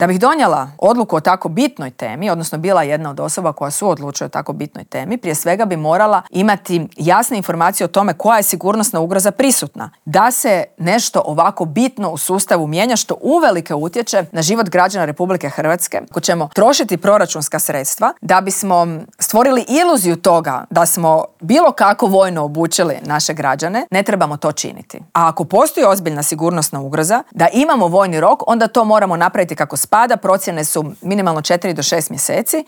Da bih donijela odluku o tako bitnoj temi, odnosno bila jedna od osoba koja suodlučuje o tako bitnoj temi, prije svega bi morala imati jasne informacije o tome koja je sigurnosna ugroza prisutna. Da se nešto ovako bitno u sustavu mijenja što uvelike utječe na život građana Republike Hrvatske, ako ćemo trošiti proračunska sredstva da bismo stvorili iluziju toga da smo bilo kako vojno obučili naše građane, ne trebamo to činiti. A ako postoji ozbiljna sigurnosna ugroza, da imamo vojni rok, onda to moramo napraviti kako spada. Procjene su minimalno 4 do 6 mjeseci